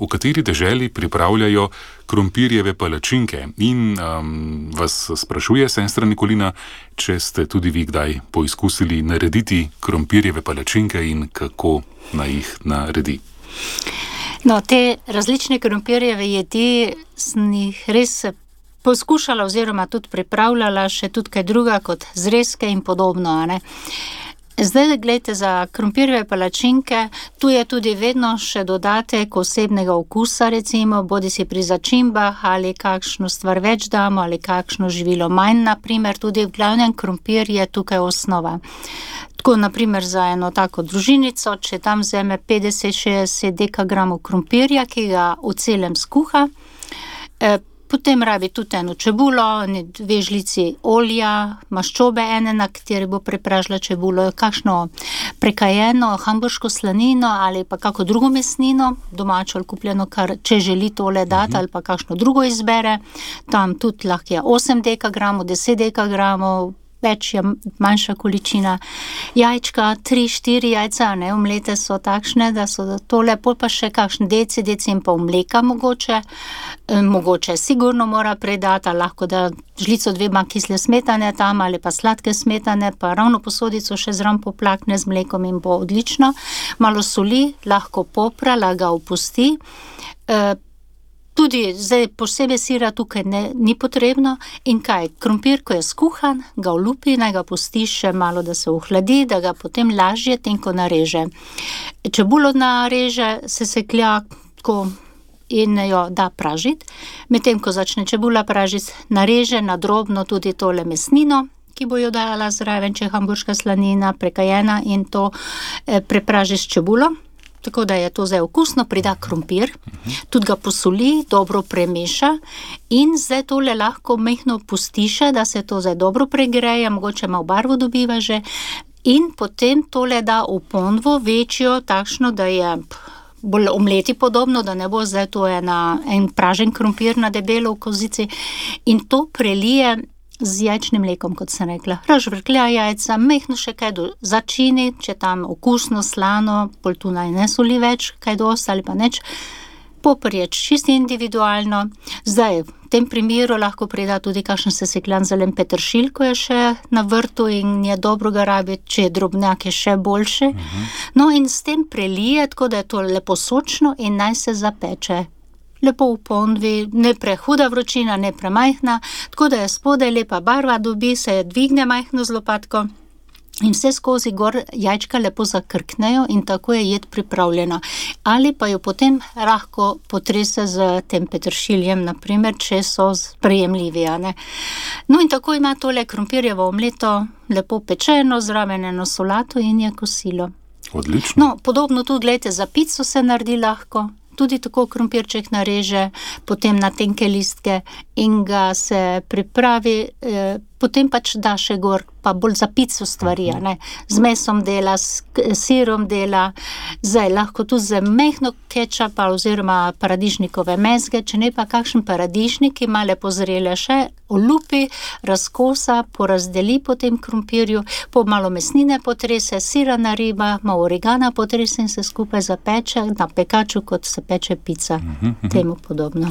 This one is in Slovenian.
v kateri deželi pripravljajo krompirjeve palačinke. In vas sprašuje sestra Nikolina, če ste tudi vi kdaj poizkusili narediti krompirjeve palačinke in kako naj jih naredi. No, te različne krompirjeve jedi sem jih res poskušala oziroma tudi pripravljala, še tudi kaj druga kot zrezke in podobno, a ne. Zdaj, gledajte, za krompirjeve palačinke, tu je tudi vedno še dodatek osebnega okusa, recimo, bodisi pri začimbah ali kakšno stvar več damo ali kakšno živilo manj, naprimer, tudi v glavnem krompir je tukaj osnova. Tako, naprimer, za eno tako družinico, če tam vzame 50-60 dekagramov krompirja, ki ga v celem skuha, potem rabi tudi eno čebulo, 2 žlici olja, maščobe ene, na kateri bo prepražila čebulo, kakšno prekajeno hamburško slanino ali pa kako drugo mesnino, domačo ali kupljeno, kar če želi tole dati ali pa kakšno drugo izbere. Tam tudi lahko je 8 dekagramov, 10 dekagramov, več je manjša količina. Jajčka, 3-4 jajca, ne, omlete so takšne, da so tole, pol pa še kakšen deci in pol mleka mogoče sigurno mora predati, lahko da žlico 2 kisle smetane tam ali pa sladke smetane, pa ravno posodico še zraven poplakne z mlekom in bo odlično. Malo soli, lahko popra, ga opusti. Tudi zdaj posebej sira tukaj ni potrebno in kaj, krompir, ko je skuhan, ga olupi, naj ga pusti še malo, da se ohladi, da ga potem lažje tenko nareže. Čebulo nareže, se seklja tako in jo da pražiti. Medtem ko začne čebula pražiti, nareže na drobno tudi tole mesnino, ki bo jo dala zraven, če je hamburška slanina prekajena, in to prepraži s čebulo. Tako da je to zdaj okusno, prida krompir, tudi ga posoli, dobro premeša in zdaj tole lahko mehno pustiše, da se to zdaj dobro pregreje, mogoče malo barvo dobiva že, in potem tole da v ponvo večjo, takšno, da je bolj omleti podobno, da ne bo zdaj to en pražen krompir na debelo v kozici, in to prelije z jajčnim mlekom, kot sem rekla. Razžvrklja jajca, mehno še kaj začini, če tam okusno, slano, pol tu naj ne soli več, kaj dosti ali pa nič. Poperječ čisto individualno. Zdaj, v tem primeru lahko prida tudi kakšen sesekljan zelen peteršilj, ko je še na vrtu in je dobro ga rabiti, če je drobnjak, je še boljše. No, in s tem prelije, tako da je to lepo sočno in naj se zapeče. Lepo v ponvi, ne prehuda vročina, ne premajhna, tako da je spodaj lepa barva dobi, se dvigne majhno z lopatko in vse skozi gor jajčka lepo zakrknejo in tako je jed pripravljena. Ali pa jo potem lahko potrese z tem peteršiljem, naprimer, če so sprejemljivi, a ne. No, in tako ima tole krompirjevo omleto lepo pečeno, zraven eno solato in je kosilo. Odlično. No, podobno tudi, gledajte, za pico se naredi lahko. Tudi tako krompirček nareže, potem na tenke listke in ga se pripravi, potem pač da še gor, pa bolj za pico stvari, ne. Z mesom dela, s sirom dela, zdaj lahko tudi z mehno kečapa oziroma paradižnikove mezge, če ne pa kakšen paradižnik, ki ima lepo zrele še, olupi, razkosa, porazdeli po tem krompirju, po malo mesnine potrese, sira nariba, malo origana potrese in se skupaj zapeče na pekaču, kot se peče pica, temu podobno.